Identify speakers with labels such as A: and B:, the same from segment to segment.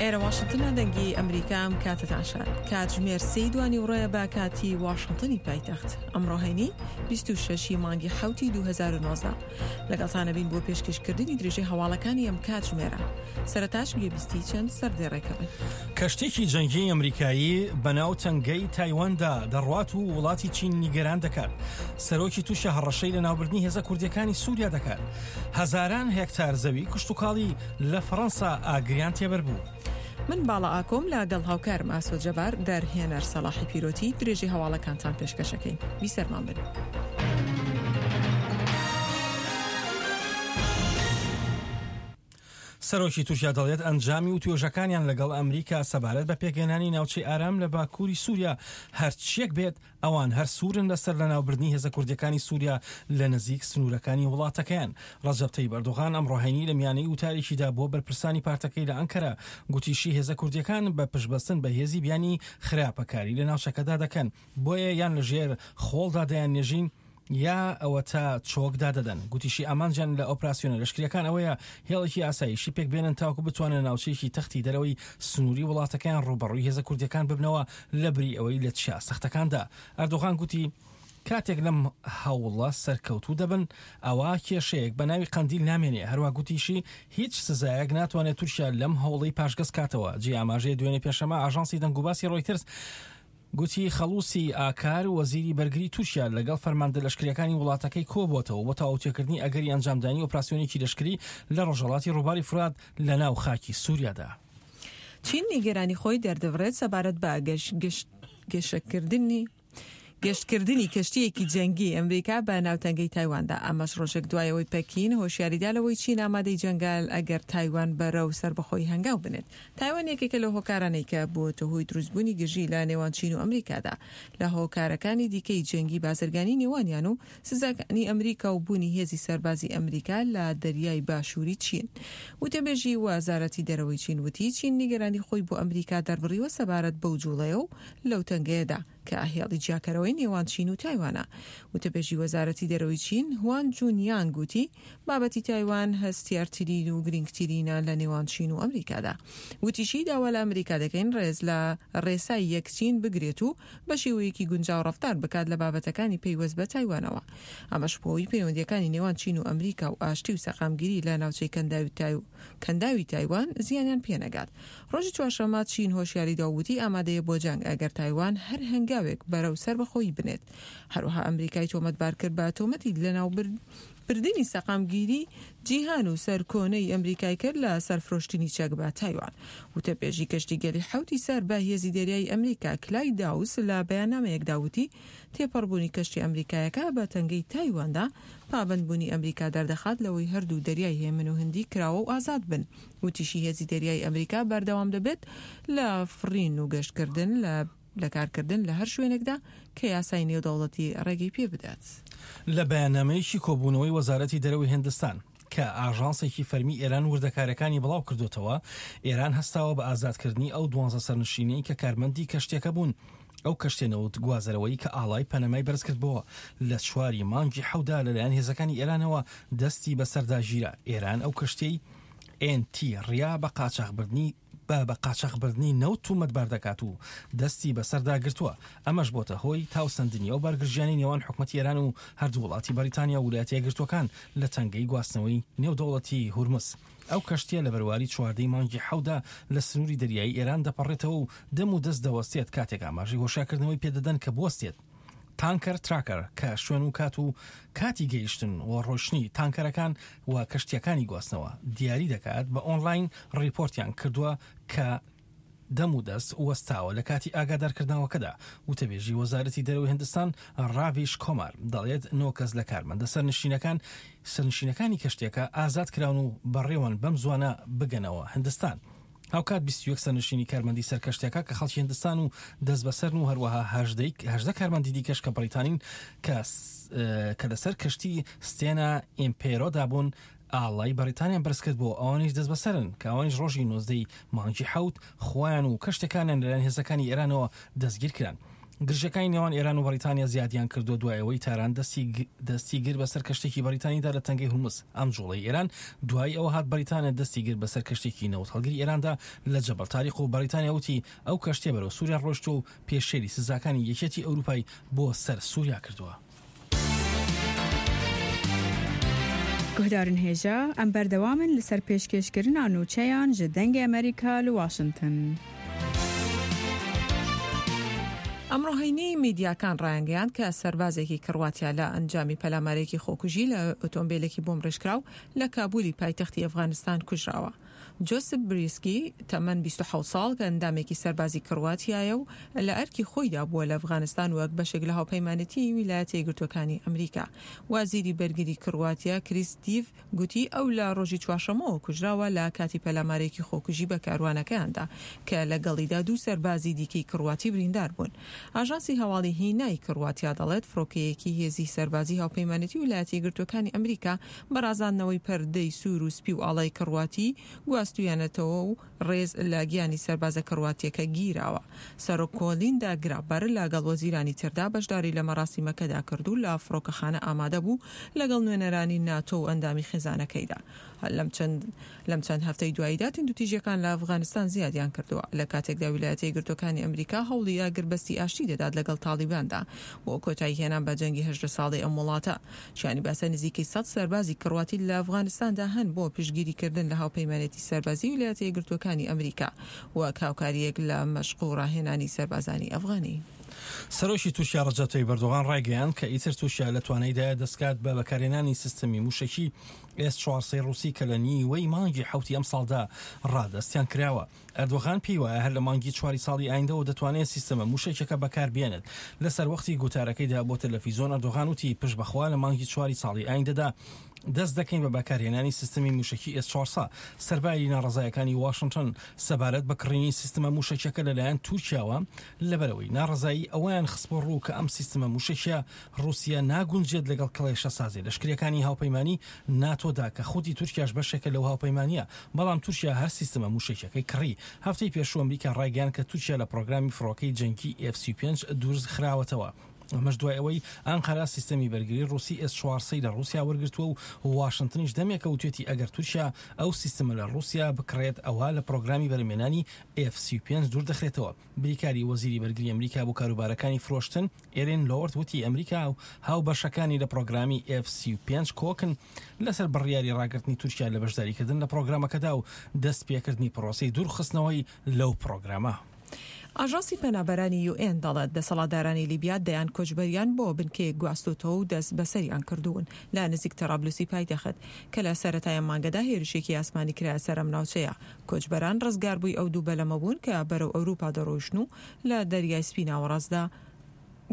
A: ئێرە واشنتنە دەنگی ئەمریکا ئەم کاتەتان شاد. کاتژمێر سێی دوانیوڕۆیە بە کاتی واشنتنی پایتەخت. ئەمڕۆ هەینی 26 ی مانگی حەوتی 2019. لەگەڵتانە بین بۆ پێشکەشکردنی درێژەی هەواڵەکانی ئەم کاتژمێرە. سەرەتاش گوێبیستی چەند سەردێڕێکە بن.
B: کەشتییەکی جەنگیی ئەمریکایی بەناو تەنگەی تایواندا دەڕوات و وڵاتی چین نیگەران دەکات. سەرۆکی تورکیا هەڕەشەی لەناوبردنی هێزە کوردییەکانی سووریا دەکات. هەزاران هێکتار زەوی کشتوکاڵی لە فەڕەنسا ئاگریان تێبەربوو.
A: من باڵا ئاکۆم لە گەڵ هاوکارم ئاسۆ جەبار، دەرهێنەر سەڵاحی پیرۆتی، درێژەی هەواڵەکانتان پێشکەشەکەین. بیسەرمان بن.
B: سەرۆکی تورکیا دەڵێت ئەنجامی وتوێژەکانیان لەگەڵ ئەمریکا سەبارەت بە پێکهێنانی ناوچەی ئارام لە باکووری سووریا هەرچیەک بێت ئەوان هەر سوورن لەسەر لەناوبردنی هێزە کوردیەکانی سووریا لە نزیک سنوورەکانی وڵاتەکەیان. ڕەجەب تەیب ئەردۆغان ئەمڕۆ هەینی لە میانەی وتارێکیدا بۆ بەرپرسانی پارتەکەی لە ئەنکەرە گوتیشی هێزە کوردیەکان بە پشتبەستن بە هێزی بیانی خراپەکاری لە ناوچەکەدا دەکەن بۆیە یان لە ژێر خۆڵدا دەیاننێژین یا ئەوەتا چۆک دادەدەن. گوتیشی ئامانجیان لە ئۆپراسیۆنە لەشکرییەکان ئەوەیە هێڵێکی ئاسایشی پێکبێنن تاوەکو بتوانن لە ناوچەیەکی تەختی دەرەوەی سنووری وڵاتەکەیان ڕووبەڕووی هێزە کوردییەکان ببنەوە لەبری ئەوەی لە چیا سەختەکاندا. ئەردۆغان گوتی کاتێک لەم هەوڵە سەرکەوتوو دەبن ئەوا کێشەیەک بە ناوی قەندیل نامێنێ. هەروا گوتیشی هیچ سزایەک ناتوانێت تورکیا لەم هەوڵەی پاشگەز کاتەوە. جێی ئاماژەیە دوێنێ پێنجشەممە ئاژانسی دەنگوباسی ڕۆیتەرز گوتی خەڵوسی ئاکار، وەزیری بەرگری تورکیا لەگەڵ فەرماندە لەشکرییەکانی وڵاتەکەی کۆبووەتەوە بۆ تاوتوێکردنی ئەگەری ئەنجامدانی ئۆپراسیۆنێکی لەشکری لە ڕۆژهەڵاتی ڕووباری فورات لە ناو خاکی سوریادا.
A: چین نیگەرانی خۆی دەردەبڕێت سەبارەت بە گەشەکردنی گەشتکردنی کەشتییەکی جەنگی ئەمریکا بە ناو تەنگەی تایواندا، ئەمەش ڕۆژێک دوای ئەوەی پەکین هۆشیاریدا لەوەی چین ئامادەی جەنگە ئەگەر تایوان بەرەو سەربەخۆیی هەنگاو بنێت. تایوان یەکێکە لەو هۆکارانەی کە بووەتە هۆی دروستبوونی گرژی لە نێوان چین و ئەمریکادا، لە هۆکارەکانی دیکەی جەنگی بازرگانی نێوانیان و سزاکانی ئەمریکا و بوونی هێزی سەربازی ئەمریکا لە دەریای باشووری چین. وتەبێژی وەزارەتی دەرەوەی چین وتی، چین نیگەرانی خۆی بۆ ئەمریکا دەربڕیوە سەبارەت بەو جوڵەیە و لەو تەنگەیەدا کە هێڵی جیاکەرەوەی نێوان چین و تایوانە. وتەبێژی وەزارەتی دەرەوەی چین، هوان جونیانگ وتی، بابەتی تایوان هەستیارترین و گرینگترینە لە نێوان چین و ئەمریکادا. وتیشی، داوا لە ئەمریکا دەکەین ڕێز لە ڕێسای یەک چین بگرێت و بە شێوەیەکی گونجاو ڕەفتار بکات لە بابەتەکانی پەیوەست بە تایوانەوە. ئەمەش بەهۆی پەیوەندییەکانی نێوان چین و ئەمریکا و ئاشتی و سەقامگیری لە ناوچەی کەنداوی تایوان زیانیان پێنەگات. ڕۆژی چوارشەممە چین هۆشیاری دا و وتی ئامادەیە بۆ جەنگ ئەگەر تایوان هەر هەنگاوێک بەرەو سەربەخۆیی بنێت. هەروەها ئەمریکای تۆمەتبار کرد بە تۆمەتی لەناوبردنی سەقامگیری جیهان و سەرکۆنەی ئەمریکای کرد لە سەر فرۆشتنی چەک بە تایوان. وتەبێژی کەشتیگەلی حەوتی سەر بە هێزی دەریایی ئەمریکا کلای داوس لە بەیاننامەیەکدا وتی تێپەڕبوونی کەشتی ئەمریکایەکە بە تەنگەی تایواندا پابەندبوونی ئەمریکا دەردەخات لەوەی هەردوو دەریای هێمن و هندی کراوە و ئازاد بن. وتیشی هێزی دەریایی ئەمریکا بەردەوام دەبێت لە فڕین و گەشتکردن لە لە کارکردن لە هەر شوێنێکدا کە یاسای نێودەوڵەتی ڕێگەی پێ بدات.
B: لە بەیاننامەیەکی کۆبوونەوەی وەزارەتی دەرەوەی هندستان کە ئاژانسێکی فەرمی ئێران وردەکاریەکانی بڵاو کردۆتەوە، ئێران هەستاوە بە ئازادکردنی ئەو دوانزە سەرنشینەی کە کارمەندی کەشتیەکە بوون. ئەو کەشتیە نەوت گوازەرەوەی کە ئاڵای پەنەمای بەرزکردبۆوە لە چواری مانگی حەوتدا لەلایەن هێزەکانی ئێرانەوە دەستی بەسەردا گیرا. ئێران ئەو کەشتیەی ئێن تی ڕیا بە قاچاخبردنی بە بە قاچاخبردنی نەوت تومەتبار دەکات و دەستی بەسەردا گرتووە، ئەمەش بۆتە هۆی تاوسەندنی ئەو بارگرژیانەی نێوان حکومەتی ئێران و هەردوو وڵاتی بەریتانیا و ولایەتە یەکگرتووەکان لە تەنگەی گواستنەوەی نێودەوڵەتی هورمز. ئەو کەشتییە لە بەرواری چواردەی مانگی حەوتدا لە سنووری دەریایی ئێران دەپەڕێتەوە و دەم و دەست دەوەستێت کاتێک ئاماژەی هۆشیارکردنەوەی پێدەدەن کە بوەستێت. تانکەر تراکەر کە شوێن و کات و کاتی گەیشتن و ڕۆیشتنی تانکەرەکان و کەشتییەکانی گواستنەوە دیاری دەکات، بە ئۆنلاین ڕیپۆرتیان کردووە کە دەم و دەست وەستاوە لە کاتی ئاگادارکردنەوەکەدا. وتەبێژی وەزارەتی دەرەوەی هندستان ڕاڤیش کۆمار دەڵێت نۆ کەس لە کارمەندە سەرنشینەکان سەرنشینەکانی کەشتییەکە ئازاد کراون و بەڕێوەن بەم زووانە بگەنەوە هندستان. هاوکات 21 سەرنشینی کارمەندی سەر کەشتیەکە کە خەڵکی هندستان و دەستبەسەرن و هەروەها 18 کارمەندی دیکەش کە بەریتانین کە کە لەسەر کەشتی ستێنا ئیمپێرۆدا بوون ئاڵای بەریتانیان بەرزکرد بۆ ئەوانیش دەستبەسەرن کە ئەوانیش ڕۆژی 19 مانگی حەوت خۆیان و کەشتەکانیان لەلایەن هێزەکانی ئێرانەوە دەستگیر کران. گرژیەکانی نێوان ئێران و بەڕیتانیا زیادیان کردووە دوای ئەوەی تاران دەستی گرت بەسەر کەشتێکی بەڕیتانیدا لە تەنگەی هورمز. ئەم جوڵەی ئێران دوای ئەوە هات بەڕیتانیا دەستی گرت بەسەر کەشتێکی نەوتهەڵگری ئێراندا لە جەبەل تاریق و بەڕیتانیا وتی ئەو کەشتیە بەرەو سوریا ڕۆیشتووە و پێشێلی سزاکانی یەکێتی ئەوروپای بۆ سەر سوریا کردووە.
C: Guhdarên hêja, em berdewam in li ser pêşkêşkirina nûçeyan ji Dengê Amerîka li Washington.
A: ئەمڕۆ هەینی میدیاکان ڕایانگەیاند کە سەربازێکی کڕواتیا لە ئەنجامی پەلامارێکی خۆکوژی لە ئۆتۆمبیلێکی بۆمبڕێژکراو لە کابولی پایتەختی ئەفغانستان کوژراوە. جۆسپ بریسکی، تەمەن 27 ساڵ، کە ئەندامێکی سەربازی کڕواتیایە و لە ئەرکی خۆیدا بووە لە ئەفغانستان وەک بەشێک لە هاوپەیمانێتیی ویلایەتە یەکگرتووەکانی ئەمریکا. وەزیری بەرگری کڕواتیا کریس دیڤ گوتی ئەو لە ڕۆژی چوارشەممەوە کوژراوە لە کاتی پەلامارێکی خۆکوژی بە کاروانەکەیاندا کە لەگەڵیدا دوو سەربازی دیکەی کڕواتی بریندار بوون. ئاژانسی هەواڵی هینای کڕواتیا دەڵێت فڕۆکەیەکی هێزی سەربازی هاوپەیمانێتی ویلایەتە یەکگرتووەکانی ئەمریکا بە ڕازاندنەوەی پەردەی سوور و سپی و ئاڵای کڕواتی گواستوویانەتەوە و ڕێز لە گیانی سەربازە کڕواتییەکە گیراوە. سەرۆک کۆلیندا گرابەر لەگەڵ وەزیرانی تردا بەشداری لە مەراسیمەکەدا کرد و لە فڕۆکەخانە ئامادە بوو لەگەڵ نوێنەرانی ناتۆ و ئەندامی خێزانەکەیدا. لەم چەند لەم چەند هەفتەی دواییدا توندوتیژیەکان لە ئەفغانستان زیادیان کردووە لە کاتێکدا ویلایەتە یەکگرتووەکانی ئەمریکا هەوڵی ئاگربەستی ئاشتی دەدات لەگەڵ تاڵیباندا بۆ کۆتایی هێنان بە جەنگی 18 ساڵەی ئەم وڵاتە. شایانی باسە نزیکەی 100 سەربازی کڕواتی لە ئەفغانستاندا هەن بۆ پشتگیریکردن لە هاوپەیمانێتی سەربازی ویلایەتە یەکگرتووەکانی ئەمریکا وەک هاوکارییەک لە مەشق و ڕاهێنانی سەربازانی ئەفغانی.
B: سەرۆکی تورکیا ڕەجەب تەیب ئەردۆغان ڕایگەیاند کە ئیتر تورکیا لە توانایدایە دەستکات بە بەکارهێنانی سیستەمی مووشەکی ئێس 400 ڕووسی کە لە نیوەی مانگی حەوتی ئەمساڵدا ڕادەستیان کراوە. ئەردۆغان پێی وایە هەر لە مانگی چواری ساڵی ئایندەوە دەتوانێت سیستەمە مووشەکیەکە بەکاربێنێت. لە سەروەختی گوتارەکەیدا بۆ تەلەفیزۆن ئەردۆغان وتی پشت بەخوا لە مانگی چواری ساڵی ئایندەدا دەست دەکەین بە بەکارهێنانی سیستەمی مووشەکی ئێس 400. سەرباری ناڕەزایەکانی واشنتن سەبارەت بە کڕینی سیستمە مووشەکیەکە لەلایەن تورکیاوە، لەبەرئەوەی ناڕەزایی ئەوەیان خستبووە ڕوو کە ئەم سیستمە مووشەکیە ڕووسیە ناگونجێت لەگەڵ کڵێشەسازی لەشکریەکانی هاوپەیمانی ناتۆدا کە خودی تورکیاش بەشێکە لەو هاوپەیمانیە، بەڵام تورکیا هەر سیستمە مووشەکیەکەی کڕی. هەفتەی پێشوو ئەمریکا ڕایگەیاند کە تورکیا لە پڕۆگرامی فڕۆکەی جەنگی ئێف 35 دوورخراوەتەوە، ئەمەش دوای ئەوەی ئەنقەرە سیستەمی بەرگری ڕووسی ئێس 400 لە ڕووسیا وەرگرتووە و واشنتنیش دەمێکە وتوێتی ئەگەر تورکیا ئەو سیستمە لە ڕووسیا بکڕێت ئەوا لە پڕۆگرامی بەرهەمهێنانی ئێف 35 دووردەخرێتەوە. بریکاری وەزیری بەرگری ئەمریکا بۆ کاروبارەکانی فرۆشتن، ئێرین لۆرد وتی ئەمریکا و هاوبەشەکانی لە پڕۆگرامی ئێف 35 کۆکن لەسەر بڕیاری ڕاگرتنی تورکیا لە بەشداریکردن لە پڕۆگرامەکەدا و دەستپێکردنی پڕۆسەی دوورخستنەوەی لەو پڕۆگرامە.
A: ئاژانسی پەنابەرانی یو ئێن دەڵێت، دەسەڵاتدارانی لیبیا دەیان کۆچبەریان بۆ بنکەیەک گواستۆتەوە و دەست بەسەریان کردوون لە نزیک تەرابلوسی پایتەخت، کە لە سەرەتای ئەم مانگەدا هێرشێکی ئاسمانی کرایە سەر ئەم ناوچەیە. کۆچبەران ڕزگاربووی ئەو دوو بەلەمە بوون کە بەرەو ئەوروپا دەڕۆیشتن و لە دەریای سپی ناوەڕاستدا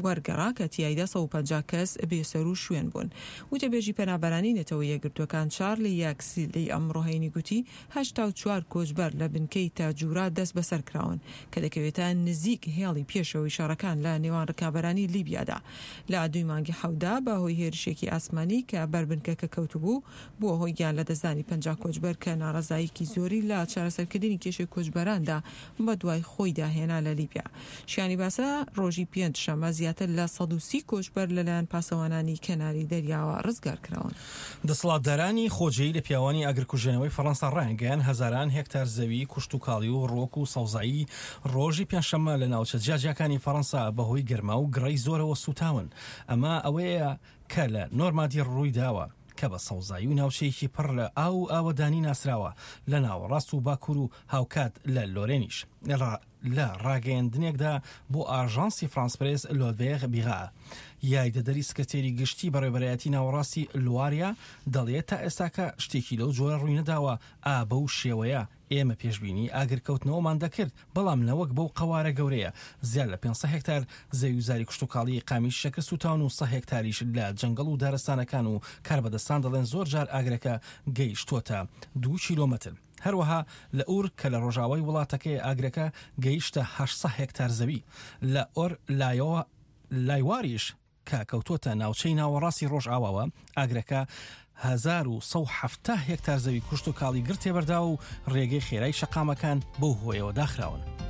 A: وەرگەڕا کە تیایدا 150 کەس بێسەرو شوێن بوون. وتەبێژی پەنابەرانی نەتەوە یەکگرتووەکان چارلی یاکسلی ئەمڕۆ هەینی گوتی 84 کۆچبەر لە بنکەی تاجورا دەست بەسەر کراون کە دەکەوێتە نزیک هێڵی پێشەوەی شەڕەکان لە نێوان ڕکابەرانی لیبیادا لە دووی مانگی حەوتدا بە هۆی هێرشێکی ئاسمانی کە بەر بنکەکە کەوتبوو بووە هۆی گیانلەدەستدانی 50 کۆچبەر کە ناڕەزاییەکی زۆری لە چارەسەرکردنی کێشەی کۆچبەراندا بەدوای خۆیدا هێنا لە لیبیا. شیانی باسە ڕۆژی پێنج شەمە زیاتر لە 130 کۆچبەر لەلایەن پاسەوانانی کەناری دەریاوە ڕزگار کراون.
B: دەسەڵاتدارانی خۆجێی لە پیاوانی ئاگرکوژێنەوەی فەڕەنسا ڕایانگەیاند، هەزاران هێکتار زەوی کوشتوکاڵی و ڕووەک و سەوزایی ڕۆژی پێنجشەممە لە ناوچە جیاجیاکانی فەڕەنسا بەهۆی گەرما و گڕەی زۆرەوە سووتاون. ئەمە ئەوەیە کە لە نۆرمادی ڕوویداوە، کە بە سەوزایی و ناوچەیەکی پڕ لە ئاو و ئاوەدانی ناسراوە لە ناوەڕاست و باکوور و هاوکات لە لۆرێنیش. لە ڕاگەیەندنێکدا بۆ ئاژانسی فرانس پرێس لۆدڤێغ بیغا یاریدەدەری سکرتێری گشتی بەڕێوەبەرایەتی ناوەڕاستی لواریا دەڵێت تا ئێستاکە شتێکی لەو جۆرە ڕووینەداوە ئا بەو شێوەیە ئێمە پێشبینی ئاگرکەوتنەوەمان دەکرد، بەڵام نەوەک بەو قەوارە گەورەیە. زیاد لە 500 هێکتار زەوی و زاری کشتوکاڵیی قامیش شەکر سووتاون و سە هێکتاریش لە جەنگەڵ و دارستانەکان و کاربەدەستان دەڵێن زۆر جار ئاگرەکە گەیشتووەتە دوو کیلۆمەتر. هەروەها لە ئور کە لە ڕۆژاوای وڵاتەکەیە ئاگرەکە گەیشتە 800 هێکتار زەوی. لە ئۆر لایواریش کە کەوتووەتە ناوچەی ناوەڕاستی ڕۆژئاواوە، ئاگرەکە 1170 هێکتار زەوی کشتوکاڵی گڕ تێبەرداوە و ڕێگەی خێرای شەقامەکان بەو هۆیەوە داخراون.